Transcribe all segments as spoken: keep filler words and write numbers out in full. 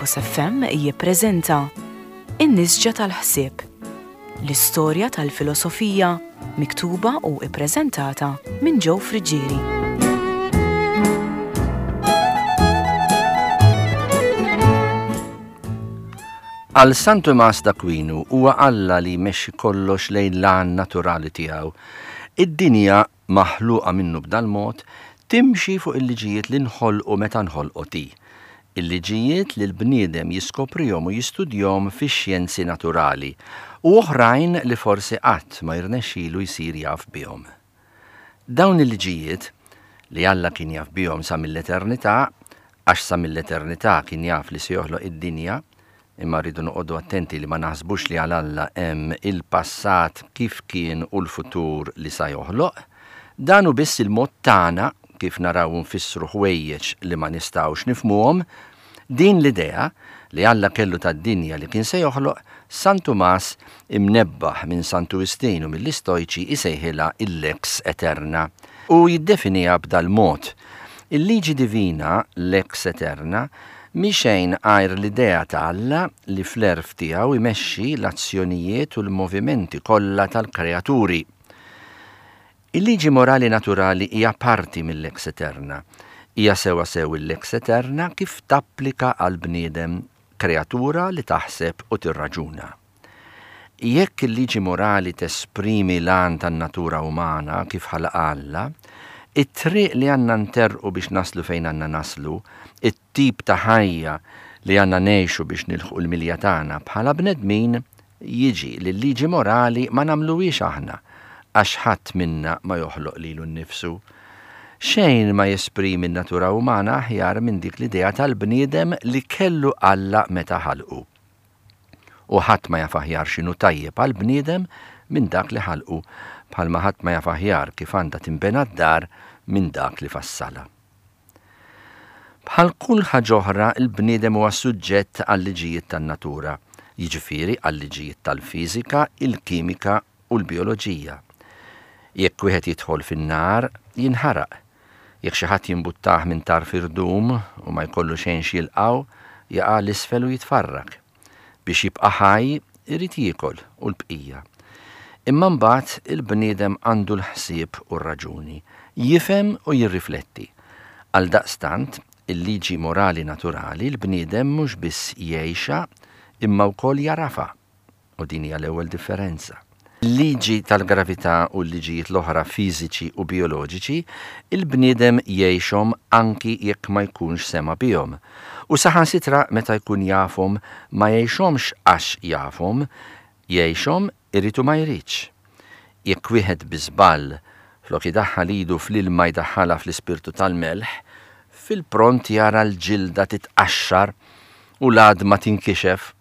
Logos F M jippreżenta In-Nisġa tal-Ħsieb, l-istorja tal-filosofija miktuba u ippreżentata minn Joe Friggieri. Għal San Tumas d'Aquinu huwa Alla li jmexxi kollox lejn l-għan naturali tiegħu. Id-dinja maħluqa minnu b'dal-mod timxi fuq il-liġijiet li nħolqu meta nħolqot hi. Il-liġijiet li l-bniedem jiskoprihom u jistudjahom fix-xjenzi naturali u oħrajn li forsi qatt ma jirnexxilu jsir jaf bihom. Dawn il-liġijiet li Alla kien jaf bihom sa mill-eternità, għax sa mill-eternità kien jaf li se joħloq id-dinja, imma rridu noqogħdu attenti li ma naħsbux li għal Alla hemm il-passat kif kien u l-futur li sa joħloq, dan hu biss il-mod tagħna kif naraw nfissru ħwejjeġ li ma nistgħux nifhmuhom. Din l-idea li Alla kellu tad-dinja li kien se joħloq, San Tumas imnebbaħ minn Santu Wistin u mill-Istojċi isejħilha il-lex eterna u jiddefiniha b'dal-mod. Il-liġi divina, lex eterna, mhi xejn għajr l-idea ta' Alla li fl-għerf tiegħu jmexxi l-azzjonijiet u l-movimenti kollha tal-kreaturi. Il-liġi morali naturali hija parti mill-lex eterna. Hija sewa sew il-lex eterna kif tapplika għal bniedem, kreatura li taħseb u tirraġuna. Jekk il-liġi morali tesprimi l-għan tan-natura umana kif ħalaq Alla, it-triq li għandna nterqu biex naslu fejn għandna naslu, it-tip ta' ħajja li għandna ngħixu biex nilħqu l-milja tagħna bħala bnedmin, jiġi li l-liġi morali ma nagħmluhiex aħna, għax ħadd minna ma joħloq lilu nnifsu. Xejn ma jesprimi n-natura umana aħjar minn dik l-idea tal-bniedem li kellu Alla meta ħalqu. U ħadd ma jaf aħjar x'inhu tajjeb għall-bniedem minn dak li ħalqu, bħalma ħadd ma jaf aħjar kif għandha tinbena d-dar minn dak li fassalha. Bħal kull ħaġa oħra, il-bniedem huwa suġġett għal-liġijiet tan-natura, jiġifieri għal-liġijiet tal-fiżika, il-kimika u l-bioloġija. Jekk wieħed jidħol fin-nar, jinħaraq. Jekk xi ħadd jimbuttah minn tarf irdum u ma jkollu xejn x'jilqgħu, jaqa' l-isfel u jitfarrak. Biex jibqa' ħaj, irid jiekol u l-bqija. Imma mbagħad il-bniedem għandu l-ħsieb u r-raġuni, jifhem u jirrifletti. Għaldaqstant, il-liġi morali naturali l-bniedem mhux biss jgħixha imma wkoll jarafa. U din hija l-ewwel differenza. Il-liġi tal-gravità u l-liġijiet l-oħra fiżiċi u bioloġiċi, il-bniedem jgħixhom anki jekk ma jkunx sema bihom. U saħansitra meta jkun jafhom ma jgħixhomx għax jafhom, jgħixhom irid u ma jridx. Jekk wieħed bi żball flok idaħħal idu fl-ilma jdaħħalha fl-ispirtu tal-melħ, fil-pront jara l-ġilda titqaxxar u l-għadma tinkixef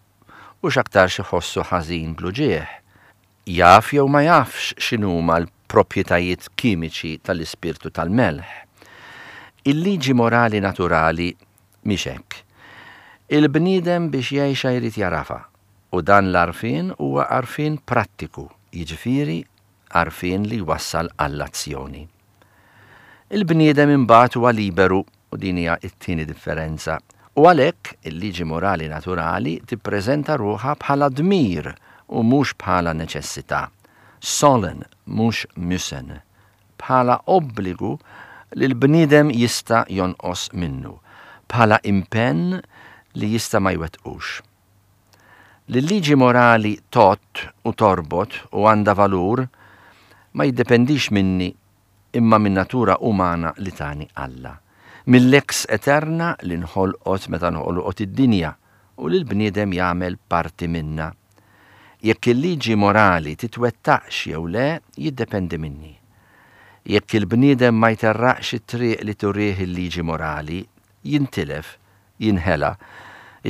u x'aktarx iħossu ħażin bl-uġigħ. Jaf jew ma jafx x'inhuma l-proprjetajiet kimiċi tal-ispirtu tal-melħ. Il-liġi morali naturali mhix hekk. Il-bniedem biex jgħixha jrid jarafa, u dan l-għarfien huwa għarfien prattiku, jiġifieri għarfien li jwassal għall-azzjoni. Il-bniedem imbagħad huwa liberu, u din hija t-tieni differenza, u għalhekk il-liġi morali naturali tippreżenta ruħha bħala dmir u mhux bħala neċessità, sollen mhux müssen, bħala obbligu li l-bniedem jista' jonqos minnu, bħala impenn li jista' ma jwettqux. Li l-liġi morali tot u torbot u għandha valur ma jiddependix minni imma minn natura umana li tani Alla, mill-lex eterna li nħolqot meta nħolqot id-dinja u li l-bniedem jagħmel parti minna. Jekk il-liġi morali titwettaqx jew le, jiddependi minni. Jekk il-bniedem ma jterraqx it-triq li turih il-liġi morali, jintilef, jinħela,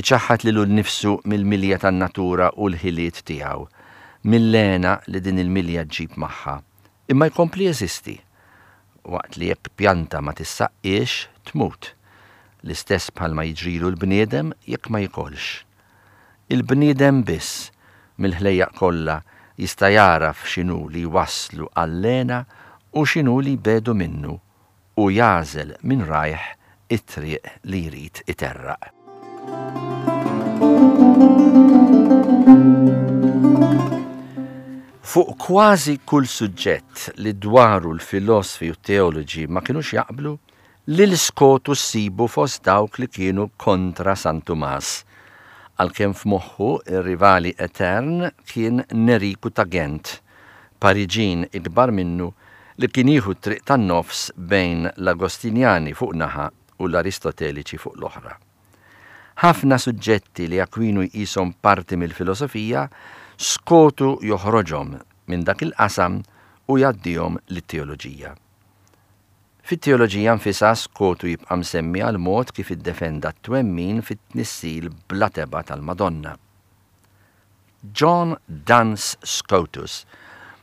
iċaħħad lilu nnifsu mill-milja tan-natura u l-ħiliet tiegħu, mill-hena li din il-milja ġġib magħha. Imma jkompli jeżisti, waqt li jekk pjanta ma tissaqqiex, tmut. L-istess bħalma jiġrilu l-bniedem jekk ma jikolx. Il-bniedem biss mill-ħlejjaq kollha jista' jaraf x'inhu li jwasslu għall-hena u x'inhu li jbedu minnu u jagħżel minn rajh it-triq li jrid iterraq. Fuq kważi kull suġġett li dwaru l-filosfi u t-teoloġi ma kinux jaqblu, lil Skotu ssibu fost dawk li kienu kontra San Tumas. Għalkemm f'moħħu ir-rivali etern kien Neriku ta' Gent, Pariġin ikbar minnu li kien jieħu t-triq tan-nofs bejn l-Agostinjani fuq naħa u l-Aristoteliċi fuq l-oħra. Ħafna suġġetti li Akwinu jqishom parti mill-filosofija, Skotu joħroġhom minn dak il-qasam u jgħaddihom lit-teoloġija. Fit-teoloġija nfisha Skotu jibqa' msemmi għal mod kif iddefenda t-twemmin fit-tnissil bla tebgħa tal-Madonna. John Duns Scotus,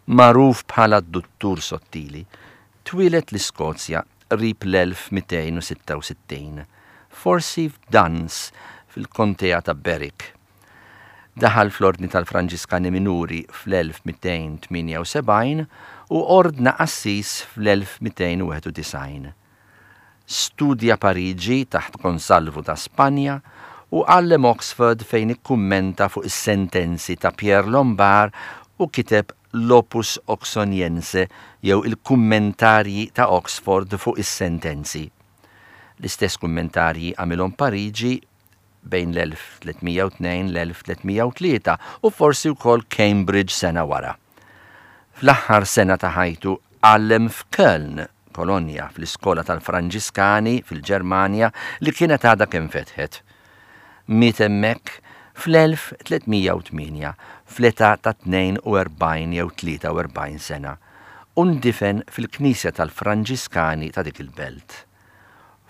magħruf bħala d-Duttur Sottili, twieled l-Iskozja qrib l-elf mitejn u sitta u sittin, forsi f'Duns fil-kontea ta' Berwick. Daħal fl-Ordni tal-Franġiskani Minuri fl-elf mitejn tmienja u sebgħin u ordna qassis fl-elf mitejn u wieħed u disgħin. Studja Pariġi taħt Gonsalvu ta' Spanja u għallem Oxford fejn ikkummenta fuq is-sentenzi ta' Pierre Lombard u kiteb l-Opus Oxoniense jew il-kummentarji ta' Oxford fuq is-sentenzi. L-istess kummentarji għamilhom Pariġi bejn l-elf tlietmija u tnejn l-elf tlietmija u tlieta u forsi wkoll Cambridge sena wara. Fl-aħħar sena ta' ħajtu għallem f'Köln, Kolonja, fl-iskola tal-Franġiskani fil-Ġermanja li kienet għadha kemm fetħet. Miet hemmhekk fl-elf tlietmija u tmienja, fl-età ta' tnejn u erbgħin jew tlieta u erbgħin sena, u ndifen fil-Knisja tal-Franġiskani ta' dik il-belt.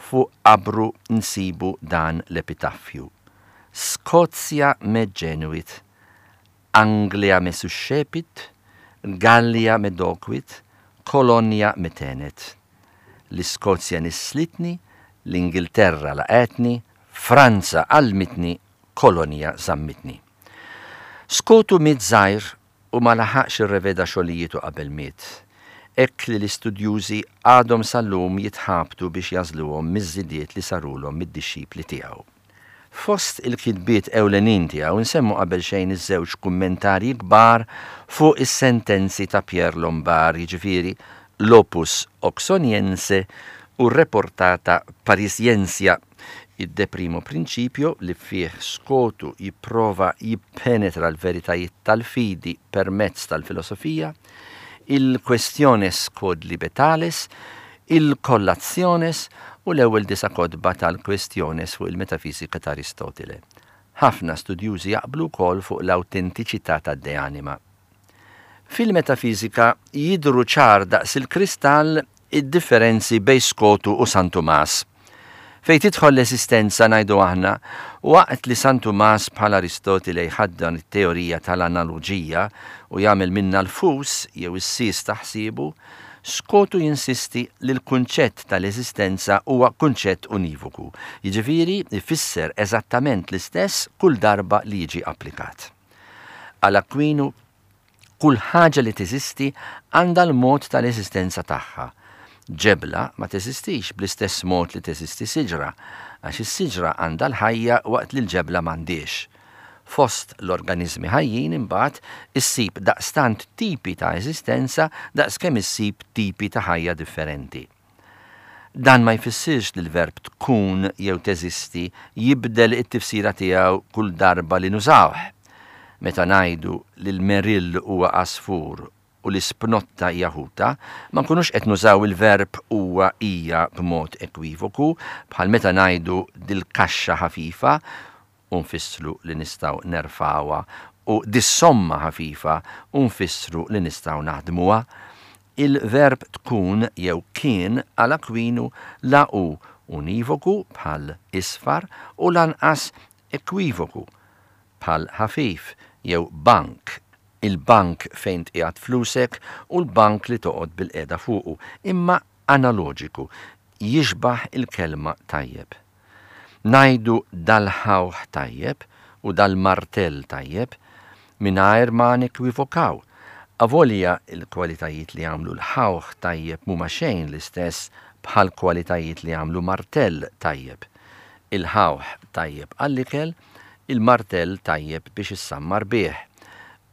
Fuq qabru nsibu dan l-epitaffju. Skozja me genuit, Anglia me suscepit, Gallia me doquit, Kolonja me tenet. L-Iskozja nislitni, l-Ingilterra laqetni, Franza għalmitni, Kolonja zammitni. Skotu miet żgħir u ma laħaqx irreveda xogħlijietu qabel miet. Hekk li l-istudjużi għadhom sal-lum jitħabtu biex jażluhom miż-żidiet li sarulhom mid-dixxipli tiegħu. Fost il-kitbiet ewlenin tiegħu nsemmu qabel xejn iż-żewġ kummentarji kbar fuq is-sentenzi ta' Pierre Lombard, jiġifieri l-Opus Oxoniense u r-Reportata Parisiensia, id-De Primo Principio li fih Skotu jipprova jippenetra l-veritajiet tal-fidi permezz tal-filosofija, il-Questiones quod Libetales, il-Collationes u l-ewwel disa' kotba tal-Questiones fuq il-metafisika ta' Aristotile. Ħafna studjużi jaqblu wkoll fuq l-awtentiċità tad-De Anima. Fil-metafisika jidhru ċar daqs il-kristall id-differenzi bejn Skotu u San Tumas. Fejn tidħol l-eżistenza ngħidu aħna, waqt li San Tumas bħal Aristotile jħaddan it-teorija tal-analoġija u jagħmel minna l-fus jew is-sis ta' ħsiebu, Skotu jinsisti li l-kunċett tal-eżistenza huwa kunċett univoku, jiġifieri ifisser eżattament l-istess kull darba li jiġi applikat. Għal Akwinu, kull ħaġa li teżisti għandha l-mod tal-eżistenza tagħha. Ġebla ma teżistix bl-istess mod li teżisti siġra, għax is-siġra għandha l-ħajja waqt li l-ġebla m'għandhiex. Fost l-organizmi ħajjin imbagħad issib daqstant tipi ta' eżistenza daqskemm issib tipi ta' ħajja differenti. Dan ma jfissirx li l-verb tkun jew teżisti jibdel it-tifsira tiegħu kull darba li nużawh. Meta ngħidu li l-merill huwa għasfur u l-ispnotta hija ħuta, ma nkunux qed nużaw il-verb huwa hija b'mod ekwivoku, bħal meta ngħidu dil-kaxxa ħafifa u nfissru li nistgħu nerfawha u dis-somma ħafifa u nfissru li nistgħu naħdmuha. Il-verb tkun jew kien għal Akwinu la hu univoku bħal isfar u lanqas ekwivoku bħal ħafif jew bank, il-bank fejn tqiegħed flusek u l-bank li toqgħod bil-qiegħda fuqu, imma analoġiku, jixbaħ il-kelma tajjeb. Ngħidu dal-ħawħ tajjeb u dal-martell tajjeb mingħajr ma nekwivokaw. Avolja il-kwalitajiet li għamlu l-ħawħ tajjeb mhuma xejn l-istess bħal kwalitajiet li għamlu martell tajjeb. Il-ħawħ tajjeb għall-ikel, Il-martell tajjeb biex issammar bih.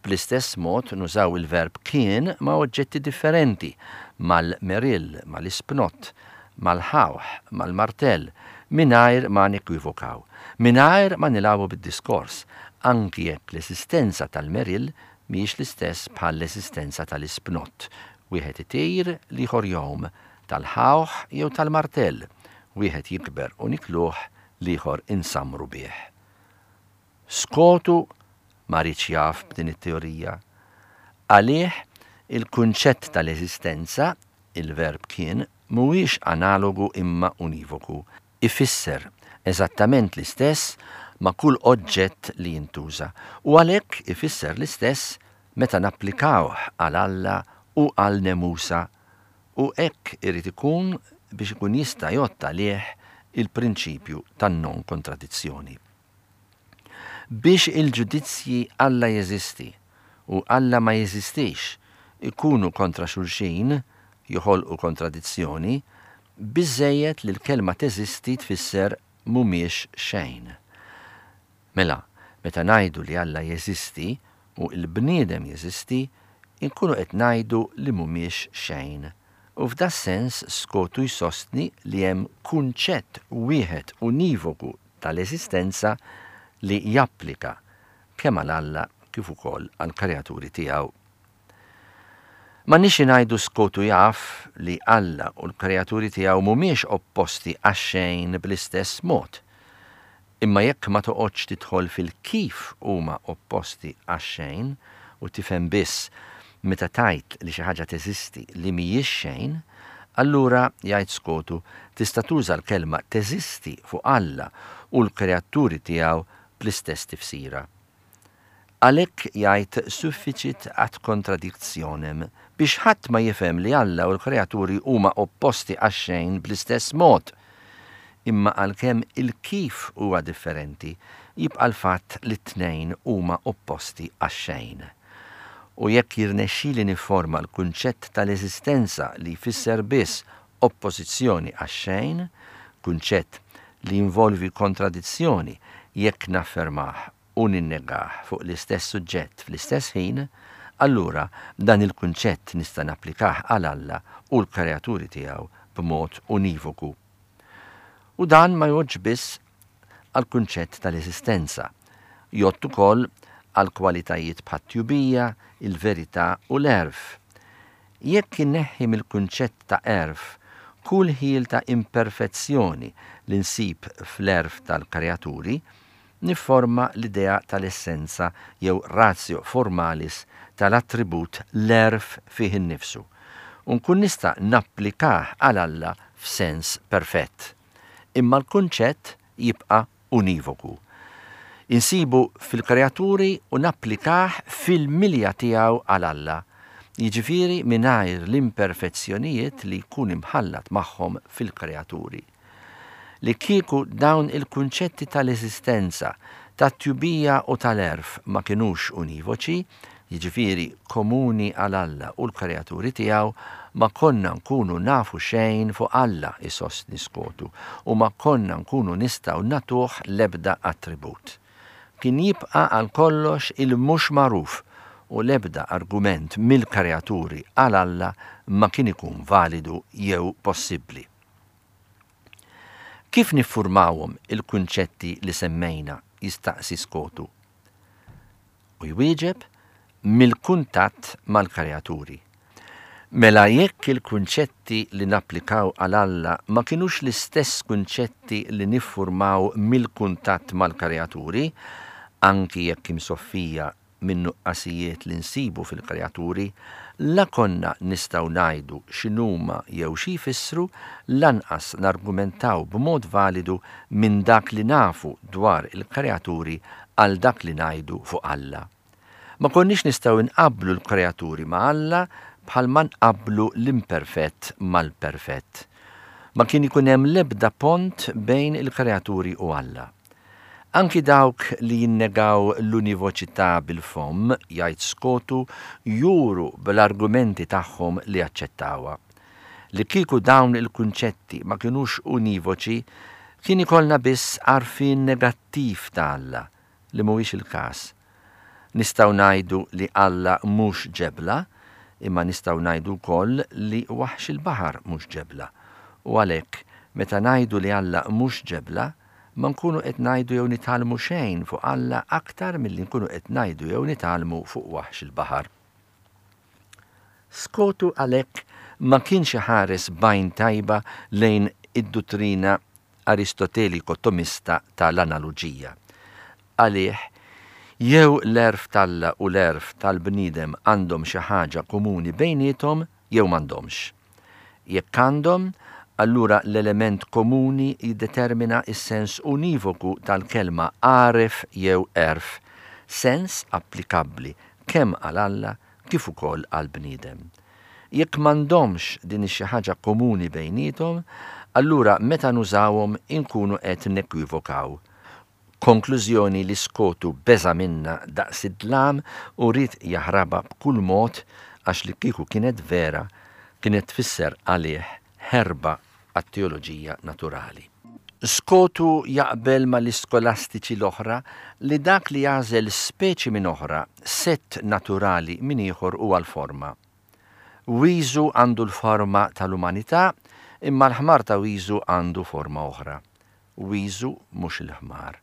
Bl-istess mod nużaw il-verb kien ma' oġġetti differenti, mal-merill, mal-ispnott, mal-ħawħ, mal-martell, mingħajr ma nekwivokaw, mingħajr ma nilagħbu bid-diskors, anki jekk l-esistenza tal-merill mhijiex l-istess bħall-esistenza tal-ispnott. Wieħed itir, l-ieħor jgħum, tal-ħawħ jew tal-martell, wieħed jikber u nikluh, l-ieħor insammru bih. Skotu ma riedx jaf b'din it-teorija. Għalih il-kunċett tal-eżistenza, il-verb kien, mhuwiex analogu imma univoku. Ifisser eżattament l-istess ma' kull oġġett li jintuża u għalhekk ifisser l-istess meta napplikawh għal Alla u għal nemusa u hekk irid ikun biex ikun jista' jgħodd għalih il-prinċipju tan-non-kontradizzjoni. Biex il-ġudizzji Alla jeżisti u Alla ma jeżistix ikunu kontra xulxin, joħolqu kontradizzjoni, biżżejjed li l-kelma teżisti tfisser mhumiex xejn. Mela, meta ngħidu li Alla jeżisti u l-bniedem jeżisti, inkunu qed ngħidu li mhumiex xejn. U f'das-sens Skotu jsostni li hemm kunċett wieħed univoku tal-eżistenza li japplika kemm għal Alla kif ukoll għall-kreaturi tiegħu. M'għandniex ngħidu Skotu jaf li Alla u l-kreaturi tiegħu mhumiex opposti għax-xejn bl-istess mod. Imma jekk ma toqgħodx tidħol fil-kif huma opposti għax-xejn u tifhem biss meta tgħid li xi ħaġa teżisti li mhijiex xejn, allura jgħid Skotu tista' tuża l-kelma teżisti fuq Alla u l-kreaturi tiegħu bl-istess tifsira. Għalhekk jgħid sufficit ad contradictionem biex ħadd ma jifhem li Alla u l-kreaturi huma opposti għax-xejn bl-istess mod. Imma għalkemm il-kif huwa differenti, jibqa' l-fatt li t-tnejn huma opposti għax-xejn. U jekk jirnexxili nifforma l-kunċett tal-eżistenza li jfisser biss oppożizzjoni għax-xejn, kunċett li jinvolvi kontradizzjoni jekk naffermah u ninnegah fuq l-istess suġġett fl-istess ħin, allura dan il-kunċett nista' napplikah għal Alla u l-kreaturi tiegħu b'mod univoku. U dan ma jgħoddx biss għall-kunċett tal-eżistenza, jgħodd ukoll għal kwalitajiet bħat-tjubija, il-verità u l-għerf. Jekk inneħħi mill-kunċett ta' għerf kull ħjiel ta' imperfezzjoni li nsib fl-għerf tal-kreaturi, nifforma l-idea tal-essenza jew ratio formalis tal-attribut l-għerf fih innifsu u nkun nista' napplikah għal Alla f'sens perfett. Imma l-kunċett jibqa' univoku. Insibu fil-kreaturi u napplikah fil-milja tiegħu għal Alla, jiġifieri mingħajr l-imperfezzjonijiet li jkun imħallat magħhom fil-kreaturi. Li kieku dawn il-kunċetti tal-eżistenza, tat-tjubija u tal-għerf ma kinux univoċi, jiġifieri komuni għal Alla u l-kreaturi tiegħu, ma konna nkunu nafu xejn fuq Alla, isostni Skotu, u ma konna nkunu nistgħu nagħtuh l-ebda attribut. Kien jibqa' għal kollox il-mhux magħruf u l-ebda argument mill-kreaturi għal Alla ma kien ikun validu jew possibbli. Kif niffurmawhom il-kunċetti li semmejna, jistaqsi Skotu. U jwieġeb mill-kuntatt mal-kreaturi. Mela jekk il-kunċetti li napplikaw għal Alla ma kinux l-istess kunċetti li niffurmaw mill-kuntatt mal-kreaturi, anki jekk imsoffija minn nuqqasijiet li nsibu fil-kreaturi, la konna nistgħu ngħidu x'inhuma jew xi jfissru, lanqas nargumentaw b'mod validu minn dak li nafu dwar il-kreaturi għal dak li ngħidu fuq Alla. Ma konniex nistgħu nqabblu l-kreaturi ma' Alla bħalma nqabblu l-imperfett mal-perfett. Ma kien ikun hemm l-ebda pont bejn il-kreaturi u Alla. Anki dawk li jinnegaw l-univoċità bil-fomm, jgħid Skotu, juru bl-argumenti tagħhom li aċċettawha. Li kieku dawn il-kunċetti ma kinux univoċi, kien ikollna biss għarfien negattiv ta' Alla, li mhuwiex il-każ. Nistgħu ngħidu li Alla mhux ġebla, imma nistgħu ngħidu wkoll li waħx il-baħar mhux ġebla. U għalhekk, meta ngħidu li Alla mhux ġebla, ma nkunu qed ngħidu jew nitgħallmu xejn fuq Alla aktar milli nkunu qed ngħidu jew nitgħallmu fuq waħx il-baħar. Skotu għalhekk ma kienx iħares b'għajn tajba lejn id-duttrina Aristoteliko-Tomista tal-analoġija. Għalih, jew l-għerf t'Alla u l-għerf tal-bniedem għandhom xi ħaġa komuni bejniethom jew m'għandhomx. Jekk għandhom, allura l-element komuni jiddetermina s-sens univoku tal-kelma għaref jew għerf, sens applikabbli kemm għal Alla kif ukoll għall-bniedem. Jekk m'għandhomx din ix-xi ħaġa komuni bejniethom, allura meta nużawhom inkunu qed nekwivokaw. Konklużjoni li Skotu beża' minnha daqs id-dlam u ried jaħrabha b'kull mod għax li kieku kienet vera kienet tfisser għalih ħerba għat-teoloġija naturali. Skotu jaqbel mal-iskolastiċi l-oħra li dak li jagħżel speċi minn oħra, sett naturali minn ieħor huwa l-forma. Wiżu għandu l-forma tal-umanità, imma l-ħmar ta' Wiżu għandu forma oħra. Wiżu mhux il-ħmar.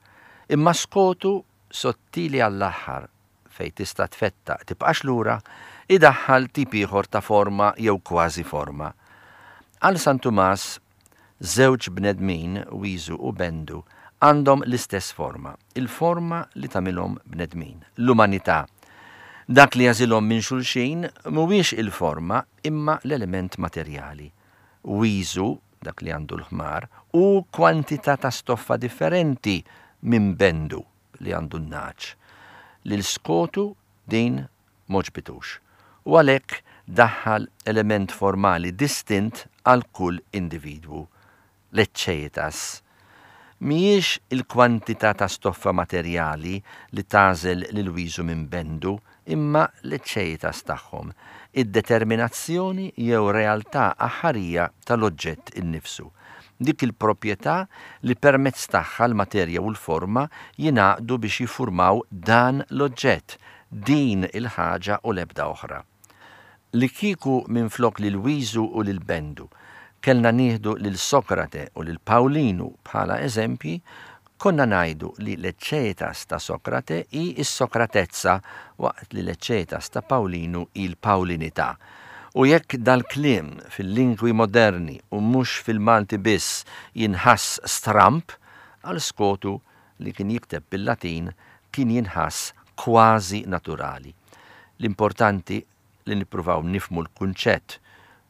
Imma Skotu sottili għall-aħħar fejn tista' tfettaq tibqax lura, idaħħal tip ieħor ta' forma jew kważi forma. Għal San Tumas, żewġ bnedmin, Wiżu u Bendu, għandhom l-istess forma, il-forma li tagħmilhom bnedmin, l-umanità. Dak li jagħżilhom minn xulxin mhuwiex il-forma imma l-element materjali. Wiżu, dak li għandu l-ħmar, hu kwantità ta' stoffa differenti minn Bendu li għandu n-nagħaġ. Lil Skotu din m'għoġbitux u għalhekk daħħal element formali distint għal kull individwu, l-eċċejitas. Mhijiex il-kwantità ta' stoffa materjali li tagħżel lil Wiżu minn Bendu, imma l-eċċejitas tagħhom, id-determinazzjoni jew realtà aħħarija tal-oġġett innifsu. Dik il-proprjetà li permezz tagħha l-materja u l-forma jingħaqdu biex jiffurmaw dan l-oġġett, din il-ħaġa u l-ebda oħra. Li kieku minflok lil Wiżu u lil Bendu kellna nieħdu lil Sokrate u lil Pawlinu bħala eżempji, konna ngħidu li l-eċċetas ta' Sokrate hi s-Sokratezza waqt li l-eċċetas ta' Pawlinu hi l-Pawlinità. U jekk dal-kliem fil-lingwi moderni u mhux fil-Malti biss jinħass stramb, għal Skotu li kien jikteb bil-Latin kien jinħass kważi naturali. L-importanti li nippruvaw nifhmu l-kunċett,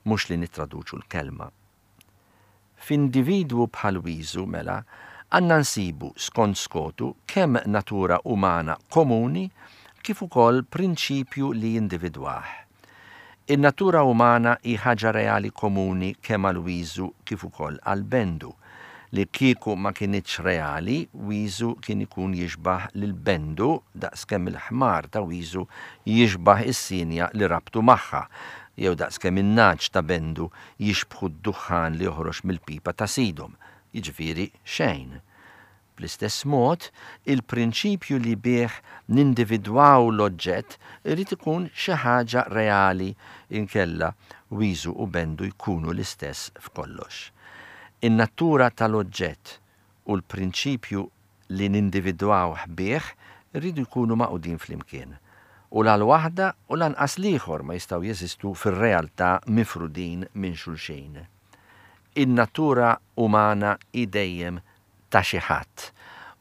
mhux li nittraduċu l-kelma. F'individwu bħal Wiżu, mela, għandna nsibu, skont Skotu, kemm natura umana komuni kif ukoll prinċipju li jindividwah. In-natura umana hi ħaġa reali komuni kemm għal Wiżu kif ukoll għal Bendu. Li kieku ma kinitx reali, Wiżu kien ikun jixbah lil Bendu daqskemm il-ħmar ta' Wiżu jixbah is-sienja li rabtu magħha, jew daqskemm in-nagħaġ ta' Bendu jixbħu d-duħħan li joħroġ mill-pipa ta' sidhom, jiġifieri xejn. Bl-istess mod, il-prinċipju li bih nindividwaw l-oġġett irid ikun xi ħaġa reali inkella Wiżu u Bendu jkunu l-istess f'kollox. In-natura tal-oġġett u l-prinċipju li nindividwawh bih iridu jkunu magħqudin flimkien. U la l-waħda u lanqas l-ieħor ma jistgħu jeżistu fir-realtà mifrudin minn xulxin. In-natura umana hi dejjem ta' xi ħadd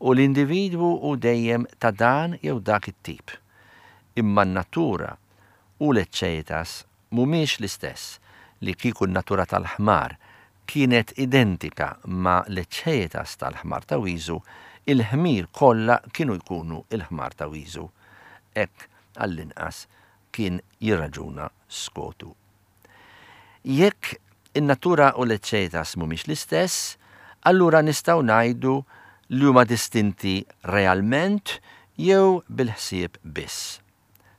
u l-individwu hu dejjem ta' dan jew dak it-tip. Imma n-natura u l-eċċejitas mhumiex l-istess, li kieku n-natura tal-ħmar kienet identika ma' l-eċċejitas tal-ħmar ta' Wiżu, il-ħmir kollha kienu jkunu l-ħmar ta' Wiżu. Hekk għall-inqas kien jirraġuna Skotu. Jekk in-natura u l-eċċejitas mhumiex l-istess, allura nistgħu ngħidu li huma distinti realment jew bil-ħsieb biss.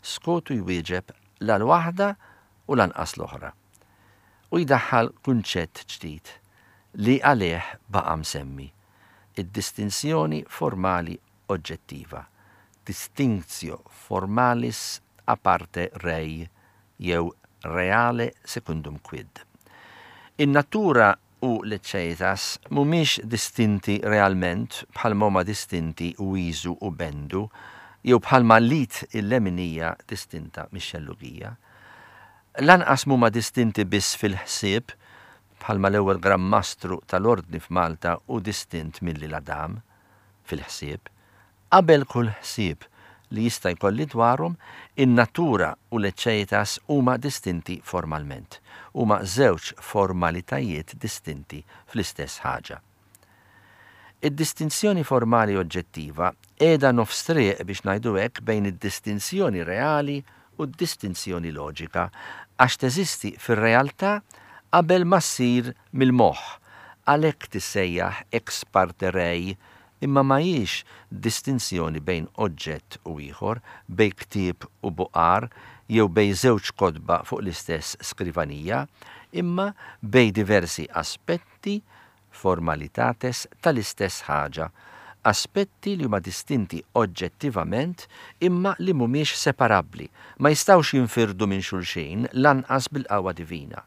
Skotu jwieġeb la l-waħda u lanqas l-oħra. U jdaħħal kunċett ġdid li għalih baqa' msemmi, id-distinzjoni formali oġġettiva. Distinctio formalis a parte rei jew reale secundum quid. In-natura u l-ecceitas mhumiex distinti realment bħalma huma distinti Wiżu u Bendu jew bħalma l-id il-leminija distinta mix-xellugija. Lanqas mhuma distinti biss fil-ħsieb bħalma l-ewwel Gran Mastru tal-Ordni f'Malta hu distint mill-Adam fil-ħsieb. Qabel kull ħsieb li jista' jkolli dwarhom, in-natura u l-eċċeitas huma distinti formalment. Huma żewġ formalitajiet distinti fl-istess ħaġa. Id-distinzjoni formali oġġettiva qiegħda nofs triq biex ngħidu hekk bejn id-distinzjoni reali u d-distinzjoni loġika għax teżisti fir-realtà qabel ma ssir mill-moħħ, għalhekk tissejjaħ ex parte rei, imma ma hijiex distinzjoni bejn oġġett u ieħor, bejn ktieb u buqar jew bejn żewġ kotba fuq l-istess skrivanija, imma bejn diversi aspetti, formalitates, tal-istess ħaġa, aspetti li huma distinti oġġettivament imma li mhumiex separabbli, ma jistgħux jinfirdu minn xulxin lanqas bil-qawwa divina.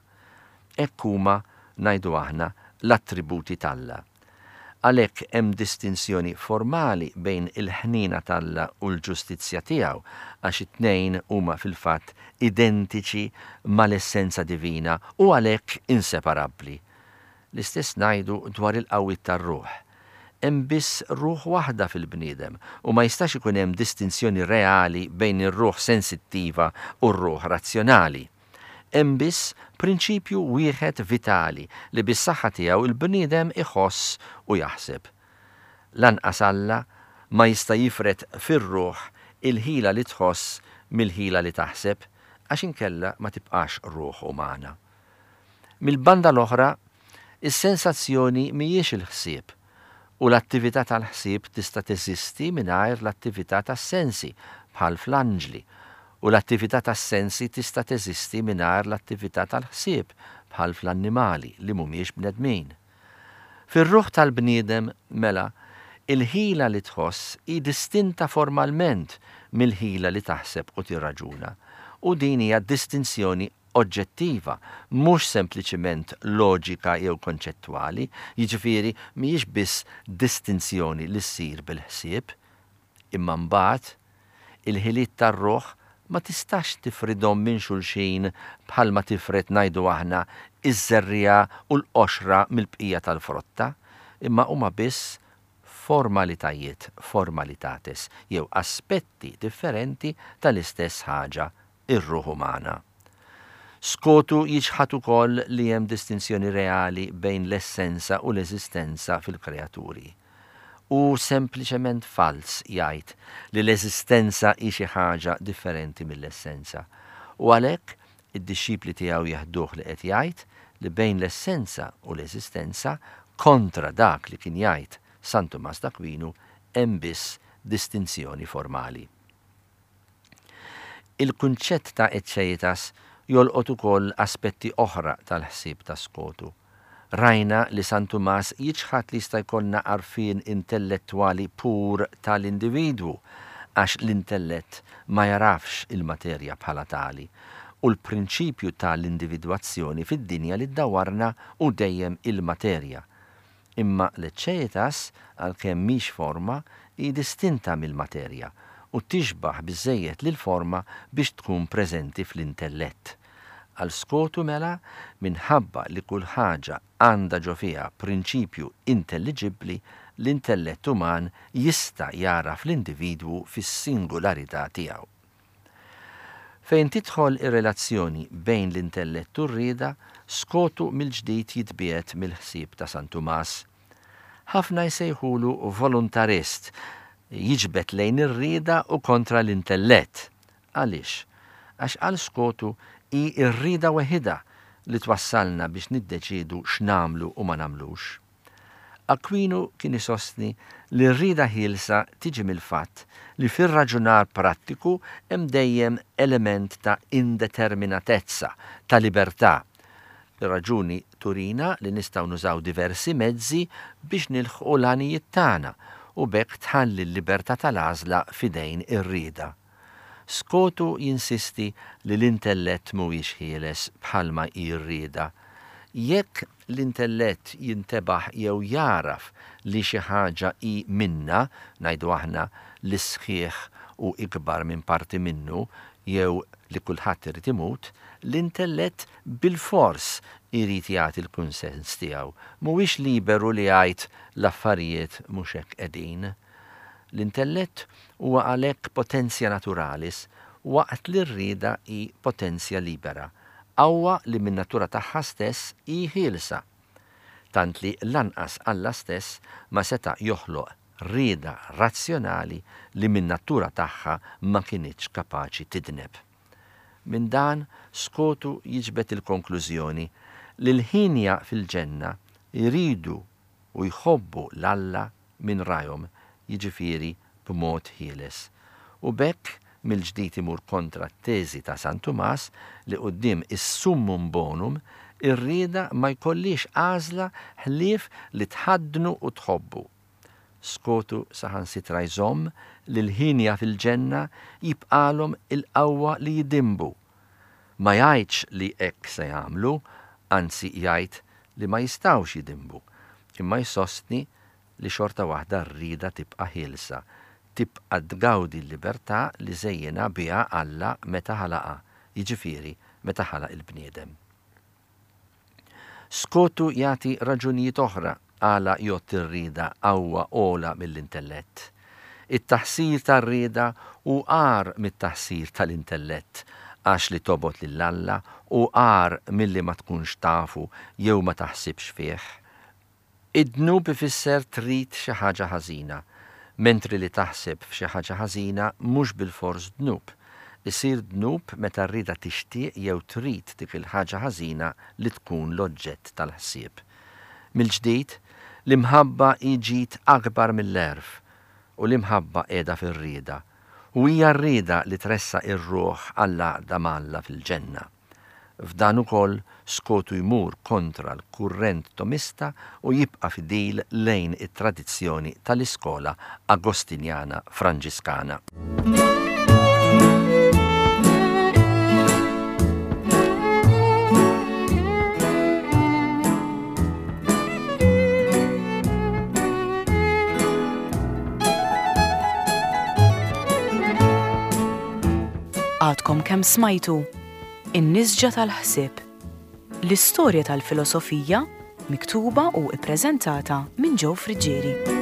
Hekk huma, ngħidu aħna, l-attributi t'Alla. Għalhekk hemm distinzjoni formali bejn il-ħniena t'Alla u l-ġustizzja tiegħu, għax it-tnejn huma fil-fatt identiċi mal-essenza divina u għalhekk inseparabbli. L-istess ngħidu dwar il-qawwiet tar-ruħ. Hemm biss ruħ waħda fil-bniedem u ma jistax ikun hemm distinzjoni reali bejn ir-ruħ sensittiva u r-ruħ razzjonali. Hemm biss prinċipju wieħed vitali li bis-saħħa tiegħu il-bniedem iħoss u jaħseb. Lanqas Alla ma jista' jifred fir-ruħ il-ħila li tħoss mill-ħila li taħseb, għax inkella ma tibqax ruħ umana. Mill-banda l-oħra, is-sensazzjoni mhijiex il-ħsieb, u l-attività tal-ħsieb tista' teżisti mingħajr l-attività tas-sensi, bħal fl-anġli, u l-attività tas-sensi tista' teżisti mingħajr l-attività tal-ħsieb, bħal fl-annimali li mhumiex bnedmin. Fir-ruħ tal-bniedem, mela, il-ħila li tħoss hi distinta formalment mill-ħila li taħseb u tirraġuna, u din hija distinzjoni oġġettiva, mhux sempliċiment loġika jew konċettwali, jiġifieri mhijiex biss distinzjoni li ssir bil-ħsieb, imma mbagħad il-ħiliet tar-ruħ ma tistax tifridhom minn xulxin bħalma tifred ngħidu aħna iż-żerriegħa u l-qoxra mill-bqija tal-frotta, imma huma biss formalitajiet, formalitates, jew aspetti differenti tal-istess ħaġa, ir-ruħ umana. Skotu jiċħad ukoll li hemm distinzjoni reali bejn l-essenza u l-eżistenza fil-kreaturi. U sempliċement fals jgħid li l-eżistenza hi xi ħaġa differenti mill-essenza. U għalhekk id-dixxipli tiegħu jeħduh li qed jgħid li bejn l-essenza u l-eżistenza, kontra dak li kien jgħid San Tumas d'Aquinu, hemm biss distinzjoni formali. Il-kunċett ta' eċċeitas jolqot ukoll aspetti oħra tal-ħsieb ta' Skotu. Rajna li San Tumas jiċħad li jista' jkollna għarfien intellettwali pur tal-individwu, għax l-intellett ma jarafx il-materja bħala tali, u l-prinċipju tal-individwazzjoni fid-dinja li ddawarna u dejjem il-materja. Imma l-eċċeitas, għalkemm mhix forma, hi distinta mill-materja u tixbaħ biżżejjed lil forma biex tkun preżenti fl-intellett. Għal Skotu mela, minħabba li kull ħaġa għandha ġo fiha prinċipju intelliġibbli, l-intellett uman jista' jara fl-individwu fis-singularità tiegħu. Fejn tidħol ir-relazzjoni bejn l-intellett u r-rieda, Skotu mill-ġdid jitbiegħed mill-ħsieb ta' San Tumas. Ħafna jsejħulu volontarist, jiġbed lejn ir-rieda u kontra l-intellett. Għaliex? Għax għal Skotu hi r-rieda weħida li twassalna biex niddeċidu x'namlu u ma nagħmlux. Aquinu kien isostni li r-rieda ħielsa tiġi mill-fatt li fir-raġunar prattiku hemm dejjem element ta' indeterminatezza, ta' libertà. Ir-raġuni turina li nistgħu nużaw diversi mezzi biex nilħqu l-għanijiet tagħna u b'hekk tħalli l-libertà tal-għażla f'idejn ir-rieda. Skotu jinsisti li l-intellett mhuwiex ħieles bħalma hi r-rieda. Jekk l-intellett jintebaħ jew jagħraf li xi ħaġa hi minnha, ngħidu aħna li s-sħiħ hu ikbar minn parti minnu jew li kulħadd irid imut, l-intellett bilfors irid jagħti l-kunsens tiegħu. Mhuwiex liberu li jgħid l-affarijiet mhux hekk qegħdin. L-intellett huwa għalhekk potentia naturalis waqt li r-rieda hi potentia libera, qawwa li min-natura tagħha stess hi ħielsa. Tant li lanqas Alla stess ma seta' joħloq rieda razzjonali li min-natura tagħha ma kinitx kapaċi tidneb. Minn dan Skotu jiġbed il-konklużjoni li l-ħinja fil-ġenna jridu u jħobbu 'l Alla minn rajhom, jiġifieri b'mod ħieles. U b'hekk mill-ġdid imur kontra t-teżi ta' San Tumas li quddiem is-summum bonum ir-rieda ma jkollhiex għażla ħlief li tħaddnu u tħobbu. Skotu saħansitra jżomm li l-ħinja fil-ġenna jibqalhom il-qawwa li jidinbu. Ma jgħidx li hekk se jagħmlu, anzi jgħid li ma jistgħux jidinbu, imma jsostni li xorta waħda r-rieda tibqa' ħielsa, tibqa' tgawdi l-libertà li żejjinha biha Alla meta ħalaqha, jiġifieri meta ħalaq il-bniedem. Skotu jagħti raġunijiet oħra għala jgħodd ir-rieda qawwa ogħla mill-intellett. It-taħsir tar-rieda hu agħar mit-taħsir tal-intellett, għax li tobgħod lil Alla hu agħar milli ma tkunx tafu jew ma taħsibx fih. Id-dnub ifisser trid xi ħaġa ħażina, mentri li taħseb f'xi ħaġa ħażina mhux bilfors dnub. Isir dnub meta r-rieda tixtieq jew trid dik il-ħaġa ħażina li tkun l-oġġett tal-ħsieb. Mill-ġdid, l-imħabba hi ġid akbar mill-għerf, u l-imħabba qiegħda fir-rieda, u hija r-rieda li tressaq ir-ruħ għall-għaqda ma' Alla fil-ġenna. F'dan ukoll Skotu jmur kontra l-kurrent Tomista u jibqa' fidil lejn it-tradizzjoni tal-iskola Agostinjana Franġiskana. Għadkom kemm smajtu In-Nisġa tal-Ħsieb, l-istorja tal-filosofija miktuba u ippreżentata minn Joe Friggieri.